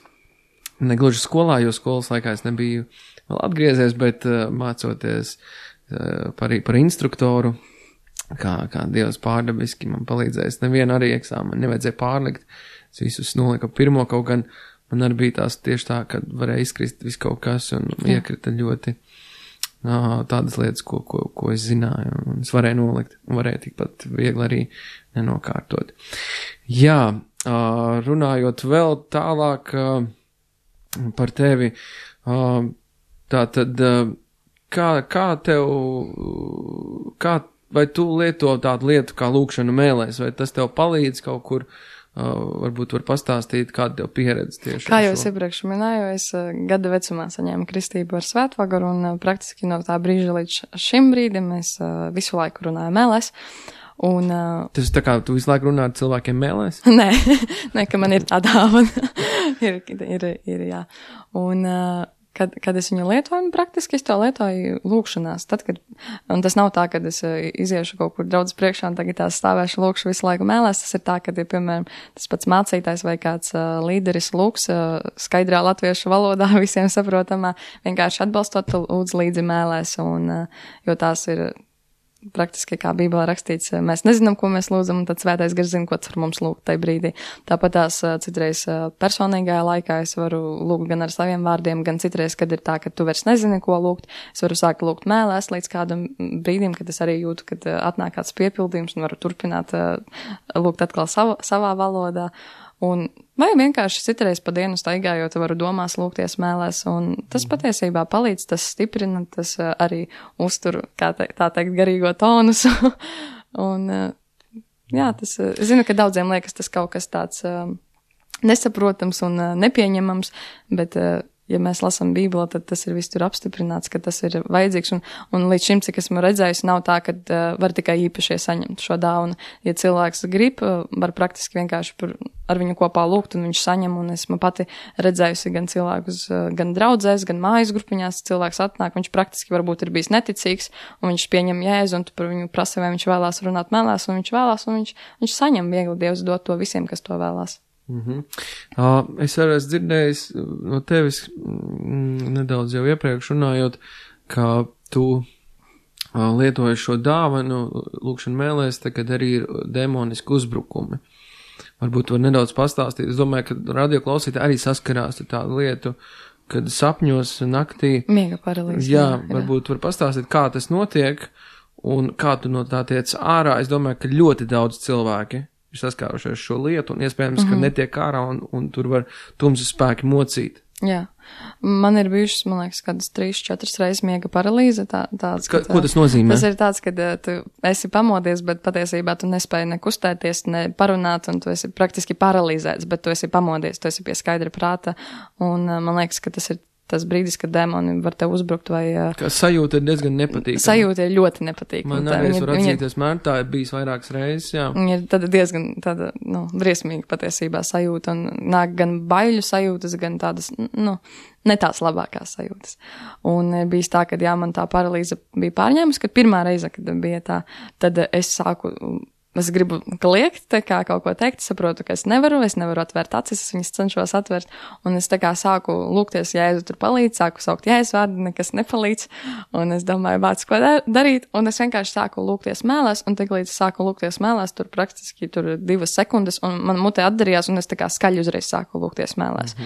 negluži skolā, jo skolas laikā es nebiju vēl atgriezies, bet mācoties par instruktoru kā Dievs pārdabiski man palīdzēs. Nevienu arī eksāmenu nevajadzēja pārlikt. Es visus noliku pirmo, kaut gan man arī bija tās tieši tā, ka varēja izkrist visu kaut kas un iekrita ļoti tādas lietas, ko es zināju, un es varēju nolikt, un varēju tikpat viegli arī nenokārtot. Jā, runājot vēl tālāk par tevi, tātad, kā tev, vai tu lieto tādu lietu kā lūkšanu mēlēs, vai tas tev palīdz kaut kur, varbūt var pastāstīt, kāda tev pieredze tieši. Kā jau es iepriekš minēju, es gada vecumā saņēmu kristību ar svētvagaru, un praktiski no tā brīža līdz šim brīdim es visu laiku runāju mēlēs. Un, tas tā kā tu visu laiku runā ar cilvēkiem mēlēs? Nē, ka man ir tā dāvana. ir, jā. Un, kad es viņu lietoju, praktiski es to lietoju lūkšanās. Tad, un tas nav tā, kad es iziešu kaut kur draudzes priekšā un tagad tās stāvēšu lūkšu visu laiku mēlēs. Tas ir tā, kad, ja, piemēram, tas pats mācītājs vai kāds līderis lūks skaidrā latviešu valodā visiem saprotamā, vienkārši atbalstot lūdzu līdzi mēlēs, un, jo tās ir praktiski, kā Bībelē rakstīts, mēs nezinām, ko mēs lūdzam, un tad svētais gars zina, ko var mums lūgt tajā brīdī. Tāpat tās citreiz personīgajā laikā es varu lūgt gan ar saviem vārdiem, gan citreiz, kad ir tā, ka tu vairs nezini, ko lūgt. Es varu sākt lūgt mēlēs līdz kādam brīdim, kad es arī jūtu, kad atnāk kāds piepildījums un varu turpināt lūgt atkal savā valodā. Un vai vienkārši citreiz pa dienu staigājot varu domās lūgties mēlēs, un tas patiesībā palīdz, tas stiprina, tas arī uztur, tā teikt, garīgo tonusu. Un, jā, tas, zinu, ka daudziem liekas tas kaut kas tāds nesaprotams un nepieņemams, bet, ja mēs lasām Bībeli, tad tas ir viss tur apstiprināts, ka tas ir vajadzīgs, un līdz šim, cik esmu redzējis, nav tā, ka var tikai īpašie saņemt šo dāvanu. Ja cilvēks grib, var praktiski vienkārši ar viņu kopā lūgt, un viņš saņem, un esmu pati redzējusi gan cilvēkus, gan draudzēs, gan mājas grupiņās, cilvēks atnāk, viņš praktiski varbūt ir bijis neticīgs, un viņš pieņem Jēzu, un tu par viņu prasa, vai viņš vēlās runāt mēlēs, un viņš vēlās, un viņš saņem viegli, Dievs dot to visiem, kas to vēlās. Es arī esmu dzirdējis no tevis nedaudz jau iepriekš runājot, ka tu lietoji šo dāvanu lūkšanu mēlēs, tagad arī ir demoniski uzbrukumi. Varbūt var nedaudz pastāstīt. Es domāju, ka radioklausītāji arī saskarās ar tādu lietu, kad sapņos naktī. Miega paralīze. Jā, varbūt var pastāstīt, kā tas notiek un kā tu no tā tiec ārā. Es domāju, ka ļoti daudz cilvēki ir saskārušies šo lietu, un iespējams, ka netiek ārā, un tur var tumsas spēki mocīt. Jā. Man ir bijušas, man liekas, kādas 3-4 reizes miega paralīze. Ko tas nozīmē? Tas ir tāds, ka tu esi pamodies, bet patiesībā tu nespēji ne kustēties, ne parunāt, un tu esi praktiski paralizēts, bet tu esi pamodies, tu esi pie skaidra prāta, un man liekas, ka tas ir tas brīdis, kad demoni var tev uzbrukt vai... Kā sajūta ir diezgan nepatīkama. Sajūta ir ļoti nepatīkama. Man arī var atzīties, man tā ir bijis vairākas reizes, jā. Viņa ir tāda diezgan tāda, briesmīga patiesībā sajūta, un nāk gan baiļu sajūtas, gan tādas, ne tās labākās sajūtas. Un bijis tā, kad jā, man tā paralīze bija pārņēmusi, kad pirmā reize, kad bija tā, tad es gribu kliegt, tā kā kaut ko teikt, saprotu, ka es nevaru atvērt acis, es viņas cenšos atvērt, un es tā kā sāku lūgties, Jēzu tur palīdz, sāku saukt Jēzu vārdu, nekas nepalīdz, un es domāju, bāc, ko darīt, un es vienkārši sāku lūgties mēlēs, un tik līdz sāku lūgties mēlēs, tur praktiski 2 sekundes, un man mutē atdarījās, un es tā kā skaļi uzreiz sāku lūgties mēlēs.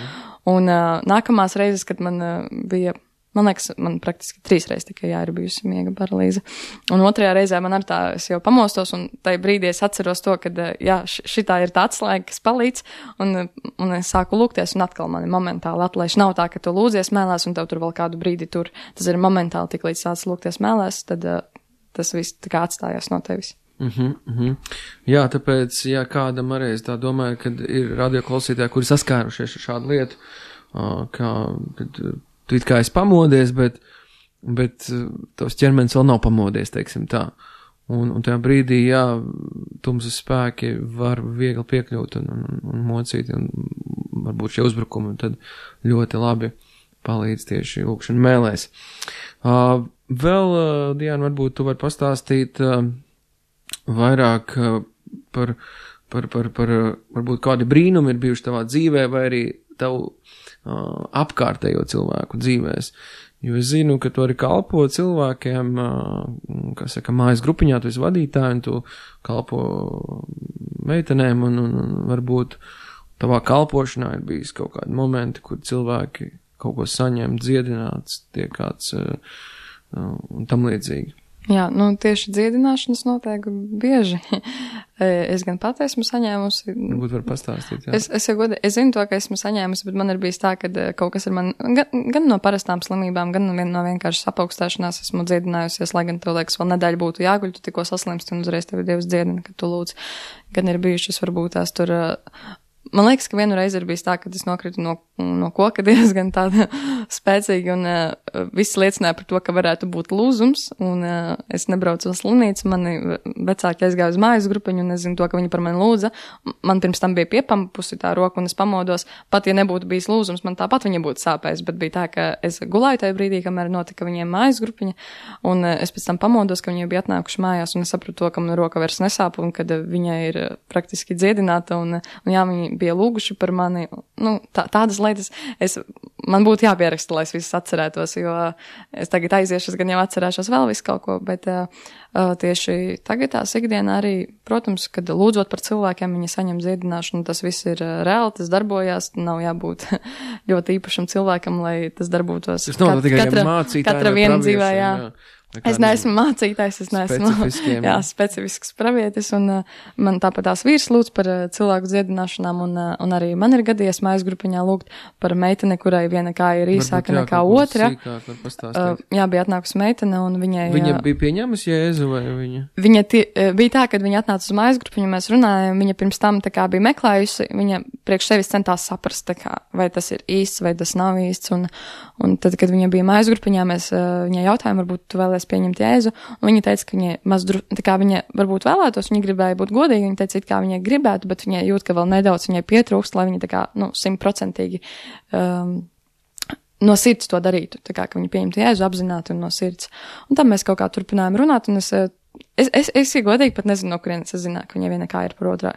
Un nākamās reizes, kad man bija... Man liekas, man praktiski 3 reizes tikai ir bijusi miega paralīze. Un 3. reizē man ar tā, es jau pamostos, un tajā brīdī es atceros to, ka, jā, šitā ir tā atslēga, kas palīdz, un es sāku lūgties, un atkal mani momentāli atlaiž. Nav tā, ka tu lūdzies mēlēs, un tev tur vēl kādu brīdi tur. Tas ir momentāli, tik līdz sāc lūgties mēlēs, tad tas viss tā kā atstājās no tevis. Jā, tāpēc, ja kādam arī es tā domāju, kad ir radioklausītāji, kuri saskārušies ar šādu lietu, kad tu it kā esi pamodies, bet tavs ķermenis vēl nav pamodies, teiksim tā. Un tajā brīdī, jā, tumsas spēki var viegli piekļūt un mocīt, un varbūt šie uzbrukumi tad ļoti labi palīdz tieši lūkšana mēlēs. Vēl, Diana, varbūt tu vari pastāstīt vairāk par varbūt kādi brīnumi ir bijuši tavā dzīvē, vai arī tavu apkārtējo cilvēku dzīvēs, Jo es zinu, ka tu arī kalpo cilvēkiem, kā saka, mājas grupiņā, tu esi vadītāji, un tu kalpo meitenēm, un varbūt tavā kalpošanā ir bijis kaut kādi momenti, kur cilvēki kaut ko saņem, dziedināts, tiek kāds un tam līdzīgi. Jā, nu tieši dziedināšanas notiek bieži. Es gan pat esmu saņēmusi. Varbūt var pastāstīt, jā. Es zinu to, ka esmu saņēmusi, bet man ir bijis tā, ka kaut kas ir man, gan no parastām slimībām, gan no vienkārši apaugstēšanās esmu dziedinājusies, lai gan tev liekas, vēl nedēļa būtu jāguļ, tu tikko saslimsti un uzreiz tevi Dievs dziedina, kad tu lūdz. Gan ir bijušas varbūt tās tur. Man liekas, ka vienu reizi ir bijis tā, ka es nokritu no koka diezgan tāda spēcīga un viss liecināja par to, ka varētu būt lūzums un es nebraucu uz slimnīcu, mani vecāki aizgāja uz mājas grupiņu un es zinu to, ka viņi par mani lūdza. Man pirms tam bija piepamupusi tā roka un es pamodos, pat ja nebūtu bijis lūzums, man tāpat viņa būtu sāpējis, bet bija tā, ka es gulēju tajā brīdī, kamēr notika viņiem mājas grupiņa un es pēc tam pamodos, ka viņi bija atnākuši mājās un es sapratu to, ka man roka vairs nesāp un kad viņa ir praktiski dziedināta un jā, viņi bija lūguši par mani, nu, tādas lietas, man būtu jāpieraksta, lai es visus atcerētos, jo es tagad aiziešu, es gan jau atcerēšos vēl visu kaut ko, bet tieši tagad tās ikdienā arī, protams, kad lūdzot par cilvēkiem, viņi saņem dziedināšanu, tas viss ir reāli, tas darbojās, nav jābūt ļoti īpašam cilvēkam, lai tas darbotos. Tas nav tikai mācītāji, katra viena dzīvē, jā. Es neesmu mācītājs, es neesmu specifisks pravietis, un man tāpat tās vīrs lūdz par cilvēku dziedināšanām, un arī man ir gadījies mājas grupiņā lūgt par meiteni, kurai viena kāja ir īsāka nekā otra. Jā, bija atnākusi meitene, un viņai... Viņa bija pieņēmusi Jēzu, vai viņa? Viņa bija tā, kad viņa atnāca uz mājas grupiņu, mēs runājām, viņa pirms tam tā kā bija meklējusi, viņa priekš sevis centās saprast, tā kā, vai tas ir īsts, vai tas nav īsts, un tad, kad viņa bija mājas grupiņā, mēs viņai jautājām, varbūt tu vēlies pieņemt Jēzu, un viņa teica, ka viņa tā kā viņa varbūt vēlētos, viņa gribēja būt godīga, viņa teica, it kā viņa gribētu, bet viņa jūt, ka vēl nedaudz viņai pietrūkst, lai viņa tā kā, 100% no sirds to darītu, tā kā, ka viņa pieņemtu Jēzu apzināti un no sirds. Un tam mēs kaut kā turpinājām runāt, un es godīgi pat nezinu, no kurienes es zināju, ka viņai viena kāja ir par otrā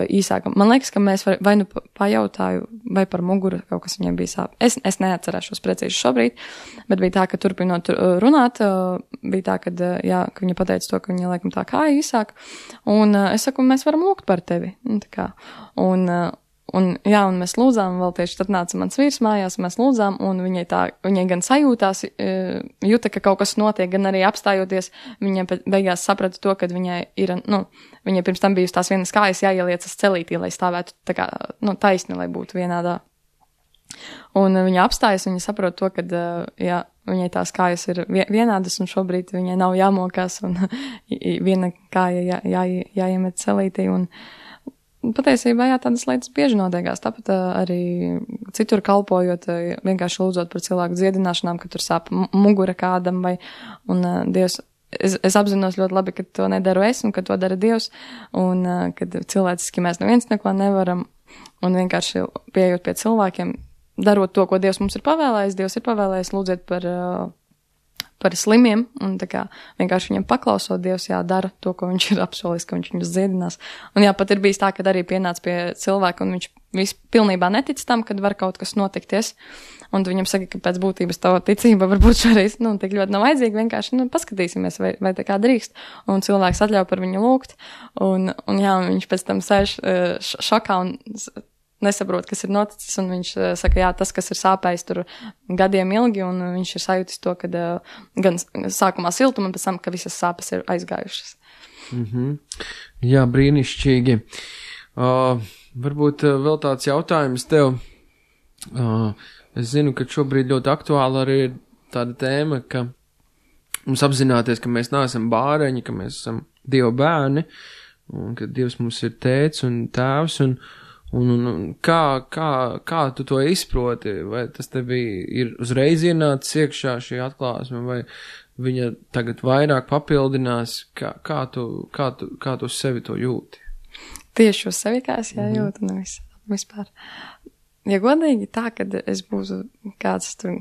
īsāka. Man liekas, ka mēs vai nu pajautāju, vai par muguru kaut kas viņai bija sāp. Es neatcerēšos precīzi šobrīd, bet bija tā, ka turpinot runāt, bija tā, ka viņa pateica to, ka viņa laikam tā kāja īsāka, un es saku, mēs varam lūgt par tevi. Un mēs lūdzām, vēl tieši tad nāca mans vīrs mājās, mēs lūdzām, un viņai gan sajūtās, jūta, ka kaut kas notiek, gan arī apstājoties, viņa beigās saprata to, ka viņai ir, viņai pirms tam bijusi tās vienas kājas jāieliecas celītī, lai stāvētu tā kā, taisni, lai būtu vienādā. Un viņa apstājas, viņa saprot to, ka, viņai tās kājas ir vienādas, un šobrīd viņai nav jāmokās, un viena kāja jāiemet celītī, un patiesībā, tādas lietas bieži notiekās. Tāpat arī citur kalpojot, vienkārši lūdzot par cilvēku dziedināšanām, ka tur sāp mugura kādam, un Dievs, es apzinos ļoti labi, ka to nedaru es, un ka to dara Dievs, un kad cilvēciski mēs neviens neko nevaram, un vienkārši pieejot pie cilvēkiem, darot to, ko Dievs mums ir pavēlējis, lūdziet par slimiem, un tā kā vienkārši viņam paklausot, Dievs dara to, ko viņš ir apsolījis, ka viņš viņus dziedinās. Un pat ir bijis tā, kad arī pienāca pie cilvēka, un viņš pilnībā netic tam, kad var kaut kas notikties, un viņam saka, ka pēc būtības tava ticība varbūt šoreiz, tik ļoti nav vajadzīga, vienkārši, paskatīsimies, vai tā kā drīkst, un cilvēks atļauj par viņu lūgt, un viņš pēc tam sēž šokā un nesaprot, kas ir noticis, un viņš saka, tas, kas ir sāpējis tur gadiem ilgi, un viņš ir sajūtis to, ka gan sākumā siltuma, un pēc tam, ka visas sāpes ir aizgājušas. Jā, brīnišķīgi. Varbūt vēl tāds jautājums tev. Es zinu, ka šobrīd ļoti aktuāla arī ir tāda tēma, ka mums apzināties, ka mēs neesam bāreņi, ka mēs esam Dieva bērni, un ka Dievs mums ir tēvs un tēvs, un kā tu to izproti, vai tas tev ir uzreiz ienācis iekšā šī atklāsme, vai viņa tagad vairāk papildinās, kā tu sevi to jūti? Tieši uz sevi kā es jūtu, vispār. Ja godīgi tā, kad es būtu kāds tur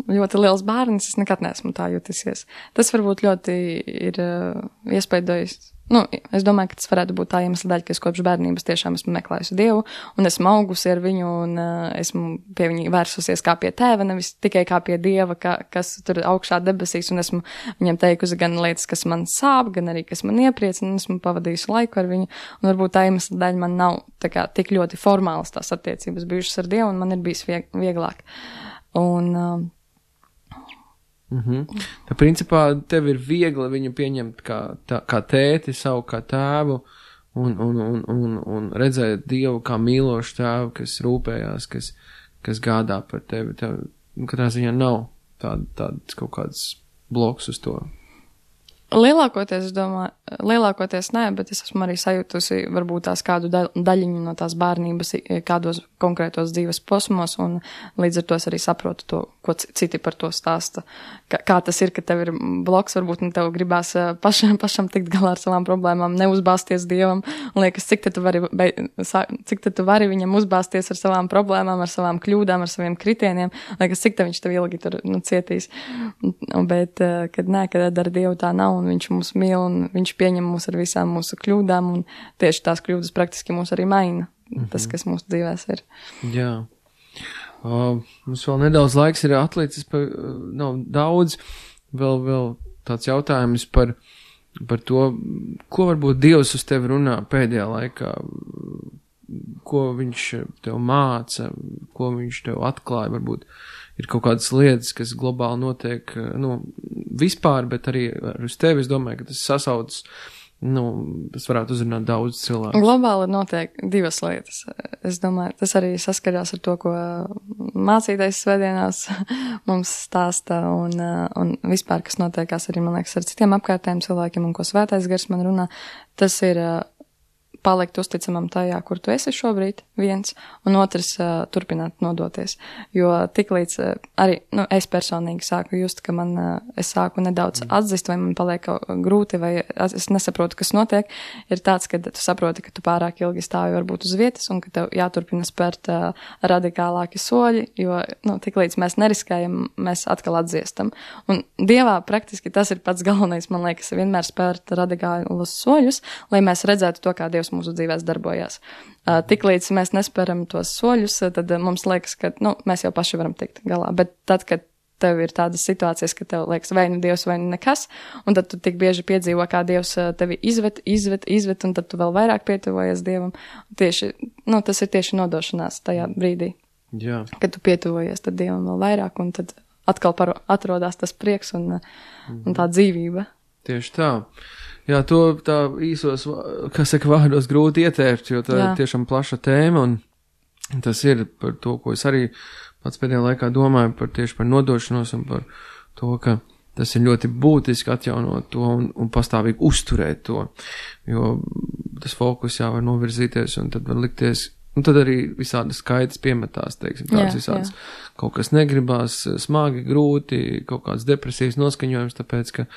ļoti liels bērnis, es nekad neesmu tā jutisies. Tas varbūt ļoti ir iespaidojis es domāju, ka tas varētu būt tā iemesla daļa, ka es kopš bērnības tiešām esmu meklējusi Dievu, un esmu augusi ar viņu, un esmu pie viņa vērsusies kā pie tēva, nevis tikai kā pie Dieva, kas tur augšā debesīs, un esmu viņam teikusi gan lietas, kas man sāp, gan arī, kas man iepriecina, un esmu pavadījusi laiku ar viņu, un varbūt tā iemesla daļa man nav tā kā tik ļoti formālas tās attiecības bijušas ar Dievu, un man ir bijis vieglāk. Un Tā principā tev ir viegli viņu pieņemt kā tēti, savu kā tēvu un redzēt Dievu kā mīlošu tēvu, kas rūpējās, kas gādā par tevi. Tev katrā ziņā nav tāds kaut kāds bloks uz to. Lielākoties, es domāju, nē, bet es esmu arī sajūtusi varbūt tās kādu daļiņu no tās bērnības kādos konkrētos dzīves posmos, un līdz ar to es arī saprotu to, ko citi par to stāsta. Kā tas ir, ka tev ir bloks, varbūt tev gribās pašam tikt galā ar savām problēmām, neuzbāzties Dievam, un liekas, cik tu vari viņam uzbāzties ar savām problēmām, ar savām kļūdām, ar saviem kritieniem, liekas, cik viņš tev ilgi tur cietīs. Bet, kad ar Dievu tā nav, un viņš mūs mīl, un viņš pieņem mūs ar visām mūsu kļūdām, un tieši tās kļūdas praktiski mūs arī maina, tas, kas mūsu dzīvēs ir. Jā. Mums vēl nedaudz laiks ir atlicis, nav daudz, vēl tāds jautājums par to, ko varbūt Dievs uz tevi runā pēdējā laikā, ko viņš tev māca, ko viņš tev atklāja, varbūt ir kaut kādas lietas, kas globāli notiek, vispār, bet arī uz tevi, es domāju, ka tas sasaucas, tas varētu uzrunāt daudz cilvēku. Globāli notiek divas lietas. Es domāju, tas arī saskarās ar to, ko mācītais svētdienās mums stāsta, un vispār, kas notiekās arī, man liekas, ar citiem apkārtējiem cilvēkiem, un ko svētais gars man runā, tas ir palikt uzticamam tajā, kur tu esi šobrīd, viens, un otrs turpināt nodoties. Jo tiklīdz arī, es personīgi sāku just, ka es sāku nedaudz atzist, vai man paliek grūti, vai es nesaprotu, kas notiek, ir tāds, ka tu saproti, ka tu pārāk ilgi stāvi varbūt uz vietas, un ka tev jāturpina spērt radikālāki soļi, jo, tiklīdz mēs neriskējam, mēs atkal atdziestam. Un Dievā praktiski tas ir pats galvenais, man liekas, vienmēr spērt radikālus soļus, lai mēs redzētu to, kā Dievs mūsu dzīvēs darbojās. Tiklīdz mēs nespēram tos soļus, tad mums liekas, ka, mēs jau paši varam tikt galā. Bet tad, kad tev ir tādas situācijas, ka tev liekas vai nu Dievs, vai nu nekas, un tad tu tik bieži piedzīvo, kā Dievs tevi izvet, un tad tu vēl vairāk pietuvojies Dievam. Tas ir tieši nodošanās tajā brīdī. Jā. Kad tu pietuvojies tad Dievam vēl vairāk, un tad atkal atrodās tas prieks un tā dzīvība. Tieši tā. Jā, to tā īsos, vārdos grūti ietērpt, jo tā ir tiešām plaša tēma, un tas ir par to, ko es arī pats pēdējā laikā domāju tieši par nodošanos un par to, ka tas ir ļoti būtiski atjaunot to un pastāvīgi uzturēt to, jo tas fokus jau var novirzīties un tad var likties, un tad arī visādas skaitas piemetās, teiksim, tādas visādas kaut kas negribās, smagi, grūti, kaut kāds depresijas noskaņojums, tāpēc, ka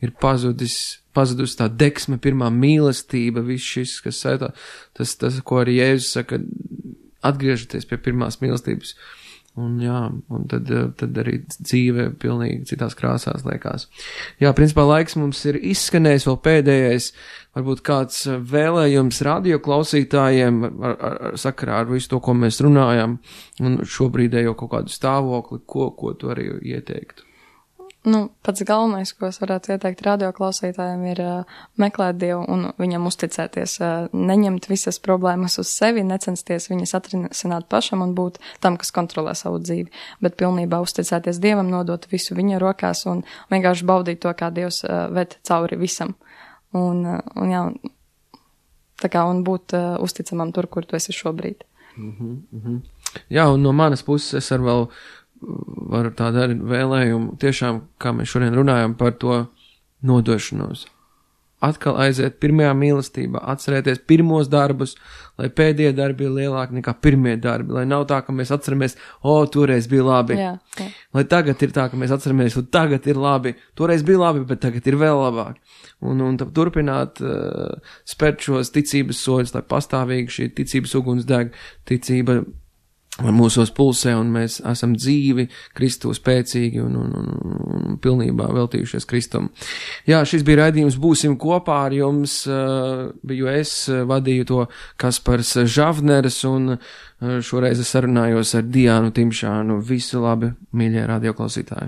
ir pazudusi tā deksme, pirmā mīlestība, viss šis, kas saitā, tas, ko arī Jēzus saka, atgriežaties pie pirmās mīlestības. Un tad arī dzīve pilnīgi citās krāsās liekas. Jā, principā laiks mums ir izskanējis, vēl pēdējais, varbūt kāds vēlējums radio klausītājiem sakarā ar visu to, ko mēs runājam, un šobrīdējo kaut kādu stāvokli, ko tu arī ieteiktu. Pats galvenais, ko es varētu ieteikt radioklausītājiem, ir meklēt Dievu un viņam uzticēties, neņemt visas problēmas uz sevi, necensties viņas atrisināt pašam un būt tam, kas kontrolē savu dzīvi, bet pilnībā uzticēties Dievam, nodot visu viņa rokās un vienkārši baudīt to, kā Dievs ved cauri visam. Un būt uzticamam tur, kur tu esi šobrīd. Jā, un no manas puses es ar vēl varu tādu arī vēlējumu, tiešām, kā mēs šodien runājam par to nodošanos. Atkal aiziet pirmajā mīlestībā, atcerēties pirmos darbus, lai pēdējie darbi ir lielāki nekā pirmie darbi, lai nav tā, ka mēs atceramies, toreiz bija labi. Jā. Lai tagad ir tā, ka mēs atceramies, tagad ir labi, toreiz bija labi, bet tagad ir vēl labāk. Un turpināt spērt šos ticības soļus, lai pastāvīgi šī ticības uguns deg, ticība mūsos pulsē, un mēs esam dzīvi, Kristu spēcīgi un pilnībā veltījušies Kristum. Jā, šis bija raidījums Būsim kopā ar jums, biju es, vadīju to Kaspars Žavneris, un šoreiz es sarunājos ar Diānu Timšānu. Visu labi, mīļie radioklausītāji!